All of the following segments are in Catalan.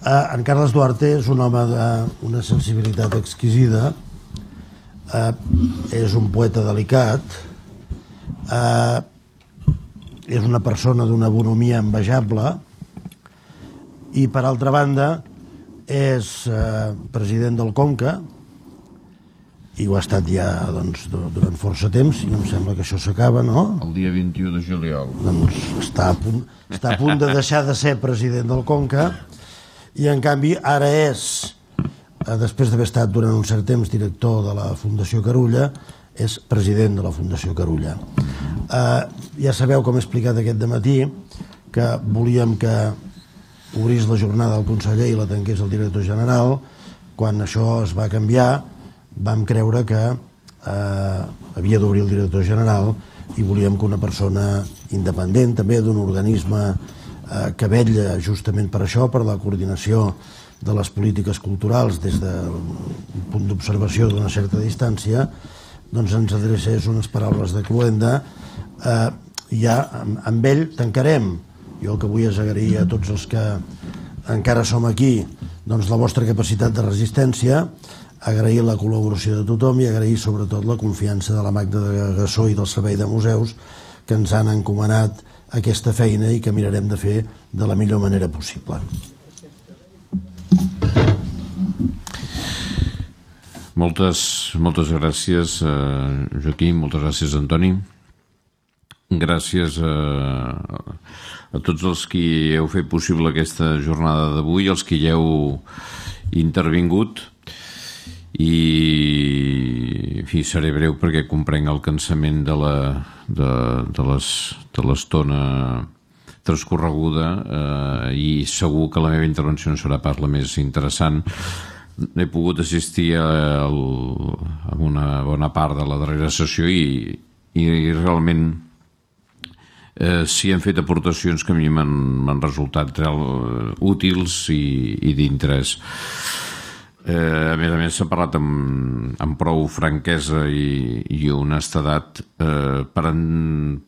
En Carles Duarte és un home d'una sensibilitat exquisida, és un poeta delicat, és una persona d'una bonomia envejable i, per altra banda, és president del Conca i ho ha estat ja durant força temps, i em sembla que això s'acaba, no? El dia 21 de juliol. Doncs està a punt de deixar de ser president del Conca i, en canvi, ara és, després d'haver estat durant un cert temps director de la Fundació Carulla, és president de la Fundació Carulla. Ja sabeu, com he explicat aquest dematí, que volíem que obrís la jornada al conseller i la tanqués el director general. Quan això es va canviar, vam creure que havia d'obrir el director general i volíem que una persona independent, també d'un organisme que vetlla justament per això, per la coordinació de les polítiques culturals des d'un punt d'observació d'una certa distància, doncs ens adrecés unes paraules de cloenda. Ja amb ell tancarem. Jo el que vull és agrair a tots els que encara som aquí doncs la vostra capacitat de resistència, agrair la col·laboració de tothom i agrair sobretot la confiança de la Magda de Gassó i del Servei de Museus, que ens han encomanat aquesta feina i que mirarem de fer de la millor manera possible. Moltes gràcies, Joaquim, moltes gràcies, Antoni. Gràcies a tots els qui heu fet possible aquesta jornada d'avui, els qui hi heu intervingut. I, en fi, seré breu perquè comprenc el cansament de l'estona transcorreguda i segur que la meva intervenció no serà pas la més interessant. He pogut assistir a una bona part de la darrera sessió i realment s'hi han fet aportacions que a mi m'han resultat útils i d'interès. A més s'ha parlat amb prou franquesa i honestedat per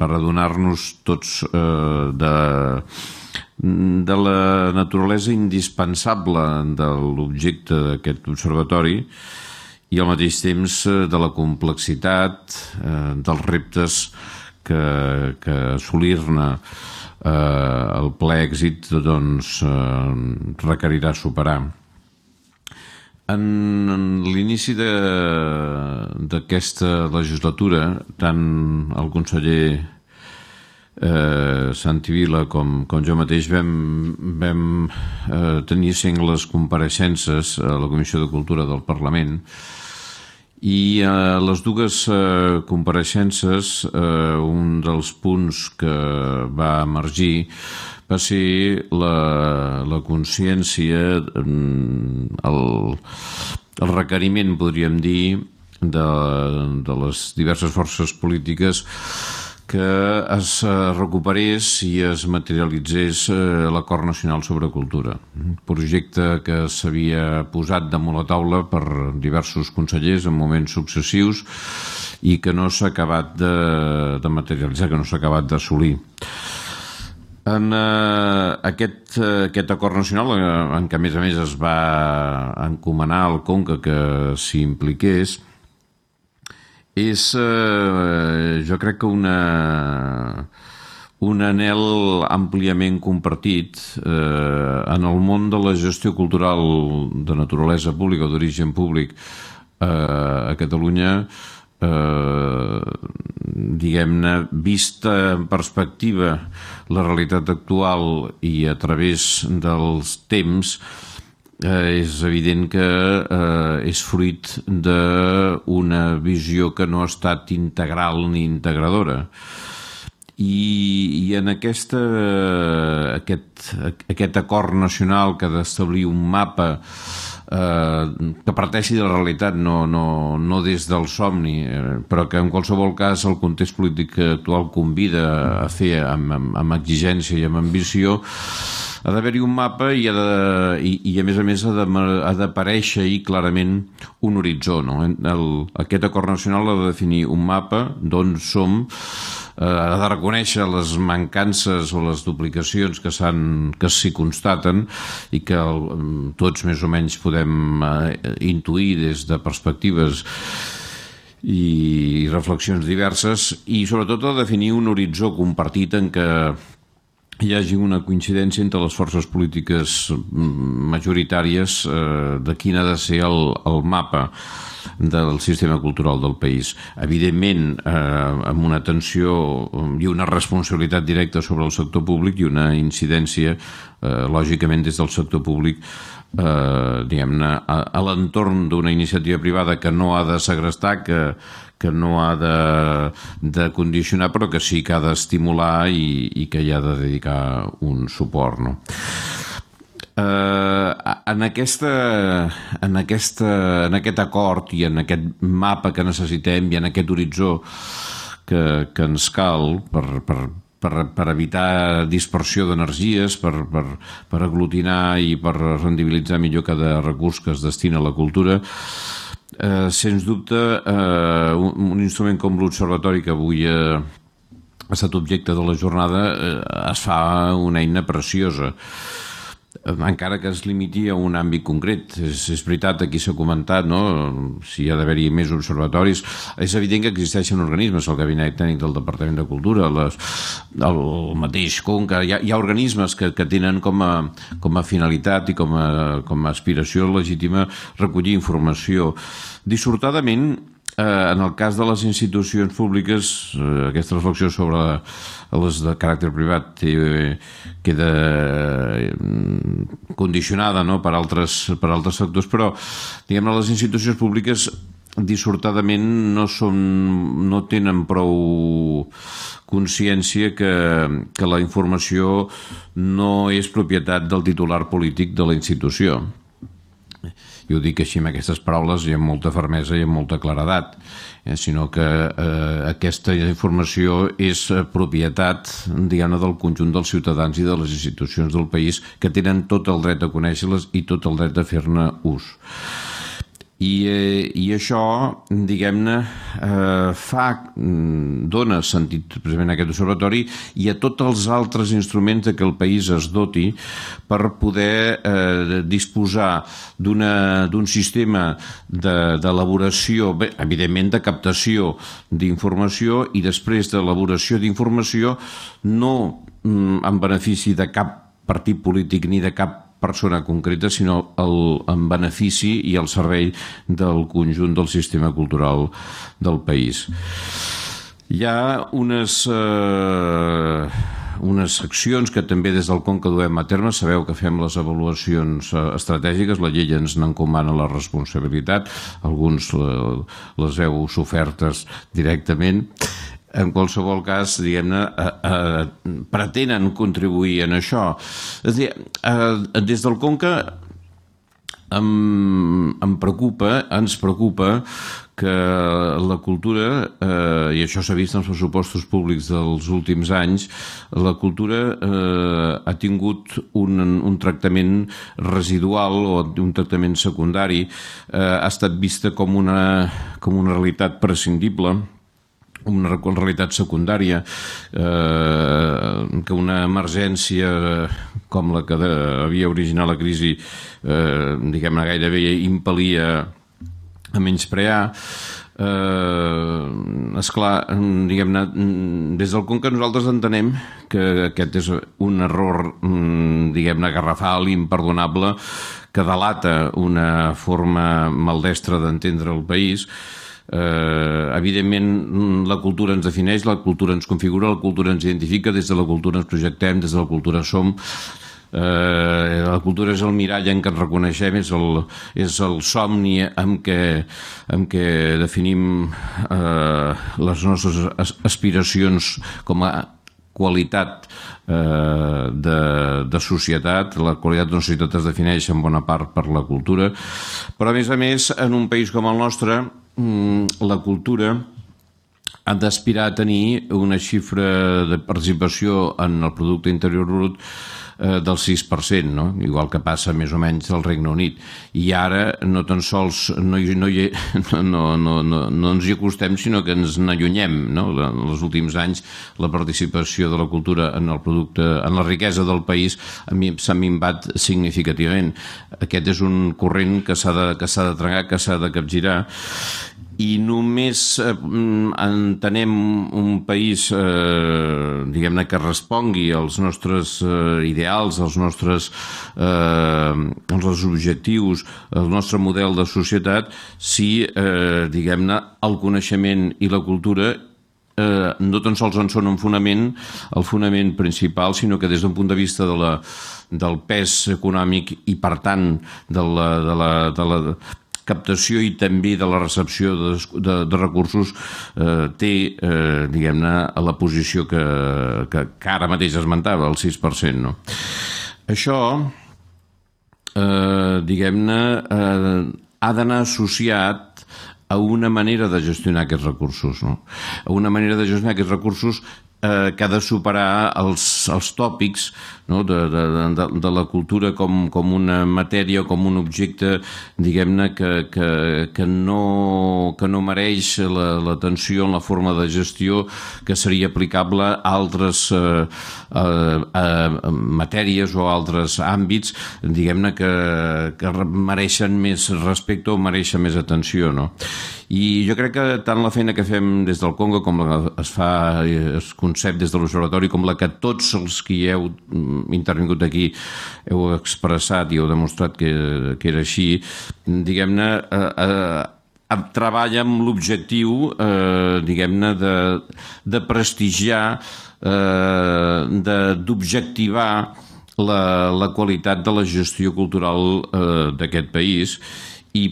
adonar-nos tots de la naturalesa indispensable de l'objecte d'aquest observatori i al mateix temps de la complexitat dels reptes que assolir-ne el ple èxit requerirà superar. En l'inici d'aquesta legislatura, tant el conseller Santi Vila com jo mateix vam tenir sengles compareixences a la Comissió de Cultura del Parlament i a les dues compareixences un dels punts que va emergir va ser la consciència, el requeriment, podríem dir, de les diverses forces polítiques que es recuperés i es materialitzés l'Acord Nacional sobre Cultura, un projecte que s'havia posat damunt la taula per diversos consellers en moments successius i que no s'ha acabat de materialitzar, que no s'ha acabat d'assolir. En aquest acord nacional, en què a més es va encomanar al Conca que s'hi impliqués, és, jo crec que un anhel àmpliament compartit en el món de la gestió cultural de naturalesa pública o d'origen públic a Catalunya, diguem-ne, vista en perspectiva la realitat actual i a través dels temps, és evident que és fruit d'una visió que no ha estat integral ni integradora. I en aquest acord nacional que ha d'establir un mapa que parteixi de la realitat, no des del somni, però que en qualsevol cas el context polític actual convida a fer amb exigència i amb ambició, ha d'haver-hi un mapa i a més ha d'aparèixer-hi clarament un horitzó. Aquest acord nacional ha de definir un mapa d'on som, ha de reconèixer les mancances o les duplicacions que s'hi constaten i que tots més o menys podem intuir des de perspectives i reflexions diverses, i sobretot a definir un horitzó compartit en què hi hagi una coincidència entre les forces polítiques majoritàries de quin ha de ser el mapa del sistema cultural del país. Evidentment, amb una atenció i una responsabilitat directa sobre el sector públic i una incidència, lògicament, des del sector públic diguem-ne, a l'entorn d'una iniciativa privada que no ha de segrestar, que no ha de condicionar, però que sí que ha d'estimular i que hi ha de dedicar un suport, no? En aquest acord i en aquest mapa que necessitem i en aquest horitzó que ens cal per evitar dispersió d'energies, per aglutinar i per rendibilitzar millor cada recurs que es destina a la cultura, sens dubte un instrument com l'Observatori, que avui ha estat objecte de la jornada, es fa una eina preciosa, encara que es limiti a un àmbit concret. És veritat, aquí s'ha comentat, no?, si hi ha d'haver-hi més observatoris. És evident que existeixen organismes, el Gabinet Tècnic del Departament de Cultura, el mateix Conca, hi ha organismes que tenen com a finalitat i com a aspiració legítima recollir informació. Dissortadament, en el cas de les institucions públiques, aquesta reflexió sobre les de caràcter privat queda condicionada, no?, per altres sectors, però diguem-ne, les institucions públiques dissortadament no tenen prou consciència que la informació no és propietat del titular polític de la institució. Jo ho dic així amb aquestes paraules i amb molta fermesa i amb molta claredat, sinó que aquesta informació és propietat, diguem-ne, del conjunt dels ciutadans i de les institucions del país, que tenen tot el dret a conèixer-les i tot el dret a fer-ne ús. I això, diguem-ne, dona sentit precisament a aquest observatori i a tots els altres instruments que el país es doti per poder disposar d'un sistema d'elaboració, evidentment de captació d'informació i després d'elaboració d'informació no en benefici de cap partit polític ni de cap persona concreta, sinó en benefici i al servei del conjunt del sistema cultural del país. Hi ha unes accions que també des del Conca duem a terme. Sabeu que fem les avaluacions estratègiques, la llei ens n'encomana la responsabilitat, alguns les heu sofertes directament. En qualsevol cas, diguem-ne, pretenen contribuir en això. És a dir, des del Conca ens preocupa que la cultura, i això s'ha vist en els pressupostos públics dels últims anys, la cultura ha tingut un tractament residual o un tractament secundari, ha estat vista com una realitat prescindible, una realitat secundària, que una emergència com la que havia originat la crisi, diguem-ne, gairebé impel·lia a menysprear. Esclar, diguem-ne, des del Conca nosaltres entenem que aquest és un error, diguem-ne, garrafal, imperdonable, que delata una forma maldestra d'entendre el país. Evidentment, la cultura ens defineix, la cultura ens configura, la cultura ens identifica, des de la cultura ens projectem, des de la cultura som. La cultura és el mirall en què ens reconeixem, és el somni amb què definim les nostres aspiracions com a qualitat de societat. La qualitat d'una societat es defineix en bona part per la cultura, però a més, en un país com el nostre, la cultura ha d'aspirar a tenir una xifra de participació en el producte interior brut del 6%, no? Igual que passa més o menys al Regne Unit. I ara no tan sols no ens hi acostem, sinó que ens n'allunyem, no? En els últims anys la participació de la cultura en el producte, en la riquesa del país s'ha minvat significativament. Aquest és un corrent que s'ha de tragar, que s'ha de capgirar, i només entenem un país diguem-ne que respongui als nostres ideals, als nostres objectius, al nostre model de societat, si diguem-ne el coneixement i la cultura no tan sols en són un fonament, el fonament principal, sinó que des d'un punt de vista del pes econòmic i per tant de la captació i també de la recepció de recursos té, diguem-ne, la posició que ara mateix esmentava, el 6%, no? Això, diguem-ne, ha d'anar associat a una manera de gestionar aquests recursos, no? A una manera de gestionar aquests recursos que ha de superar els tòpics, no? de la cultura com una matèria, com un objecte, diguem-ne, que no mereix l'atenció en la forma de gestió que seria aplicable a altres matèries o altres àmbits, diguem-ne, que mereixen més respecte o mereixen més atenció, no? I jo crec que tant la feina que fem des del Conca com la que es concep des de l'Observatori, com la que tots els que hi heu intervingut aquí heu expressat i heu demostrat que era així, diguem-ne, treballa amb l'objectiu, diguem-ne, de prestigiar, d'objectivar la qualitat de la gestió cultural d'aquest país, i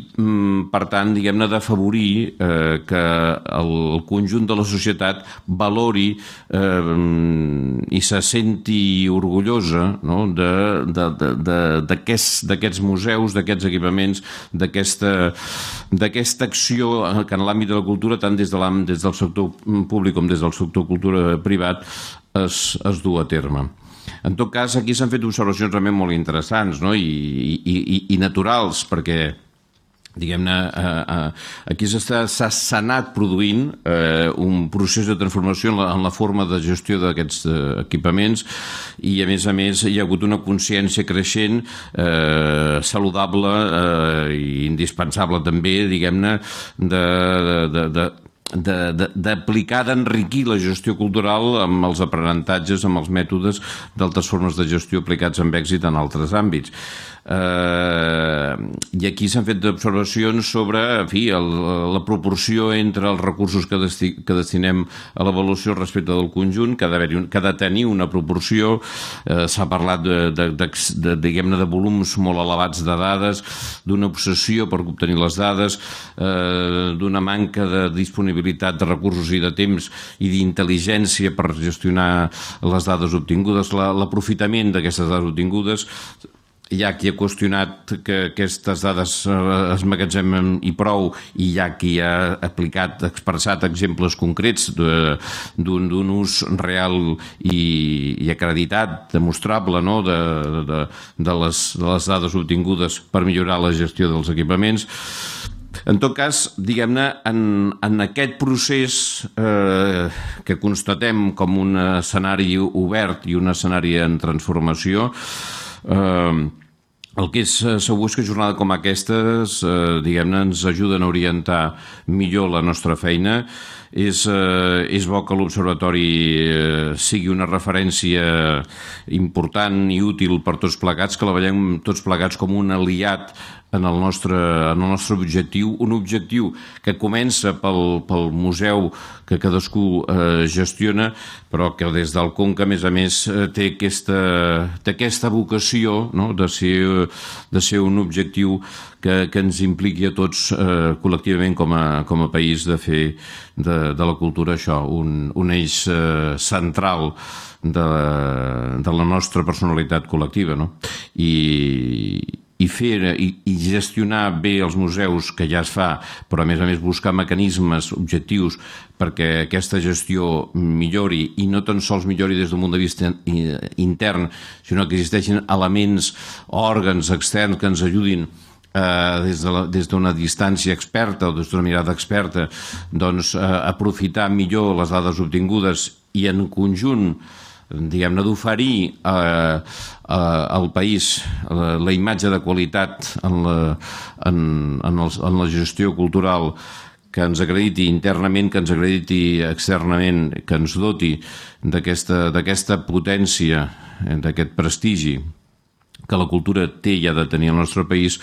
per tant, diguem-ne, d'afavorir que el conjunt de la societat valori i se senti orgullosa, no? d'aquests museus, d'aquests equipaments, d'aquesta acció que en l'àmbit de la cultura, tant des del sector públic com des del sector cultura privat, es du a terme. En tot cas, aquí s'han fet observacions realment molt interessants, no? I naturals, perquè diguem-ne, aquí s'ha anat produint un procés de transformació en la forma de gestió d'aquests equipaments, i a més hi ha hagut una consciència creixent, saludable i indispensable també, diguem-ne, d'aplicar, d'enriquir la gestió cultural amb els aprenentatges, amb els mètodes d'altres formes de gestió aplicats amb èxit en altres àmbits. I aquí s'han fet observacions sobre, en fi, la proporció entre els recursos que destinem a l'avaluació respecte del conjunt, que ha de tenir una proporció. S'ha parlat diguem-ne, de volums molt elevats de dades, d'una obsessió per obtenir les dades, d'una manca de disponibilitat de recursos i de temps i d'intel·ligència per gestionar les dades obtingudes, l'aprofitament d'aquestes dades obtingudes. Hi ha qui ha qüestionat que aquestes dades es magatzemen i prou, i hi ha qui ha expressat exemples concrets d'un ús real i acreditat, demostrable, no? de les dades obtingudes per millorar la gestió dels equipaments. En tot cas, diguem-ne, en aquest procés que constatem com un escenari obert i un escenari en transformació, el que és segur és que jornades com aquestes, diguem-ne, ens ajuden a orientar millor la nostra feina. És bo que l'Observatori sigui una referència important i útil per tots plegats, que la veiem tots plegats com un aliat en el nostre objectiu, un objectiu que comença pel museu que cadascú gestiona, però que des del Conca, a més, té aquesta vocació, no? de ser un objectiu que ens impliqui a tots col·lectivament com a país, de fer de la cultura això, un eix central de la nostra personalitat col·lectiva, no? I i gestionar bé els museus, que ja es fa, però a més buscar mecanismes objectius perquè aquesta gestió millori, i no tan sols millori des d'un punt de vista intern, sinó que existeixin elements, òrgans externs que ens ajudin des d'una distància experta o des d'una mirada experta, doncs aprofitar millor les dades obtingudes i en conjunt, diguem-ne, d'oferir al país la imatge de qualitat en la gestió cultural que ens acrediti internament, que ens acrediti externament, que ens doti d'aquesta potència, d'aquest prestigi que la cultura té i ha de tenir al nostre país.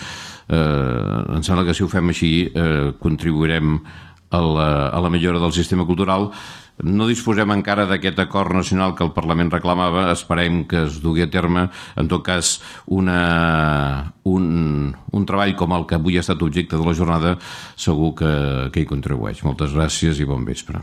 Em sembla que si ho fem així contribuirem a la millora del sistema cultural. No disposem encara d'aquest acord nacional que el Parlament reclamava, esperem que es dugui a terme. En tot cas, un treball com el que avui ha estat objecte de la jornada segur que hi contribueix. Moltes gràcies i bon vespre.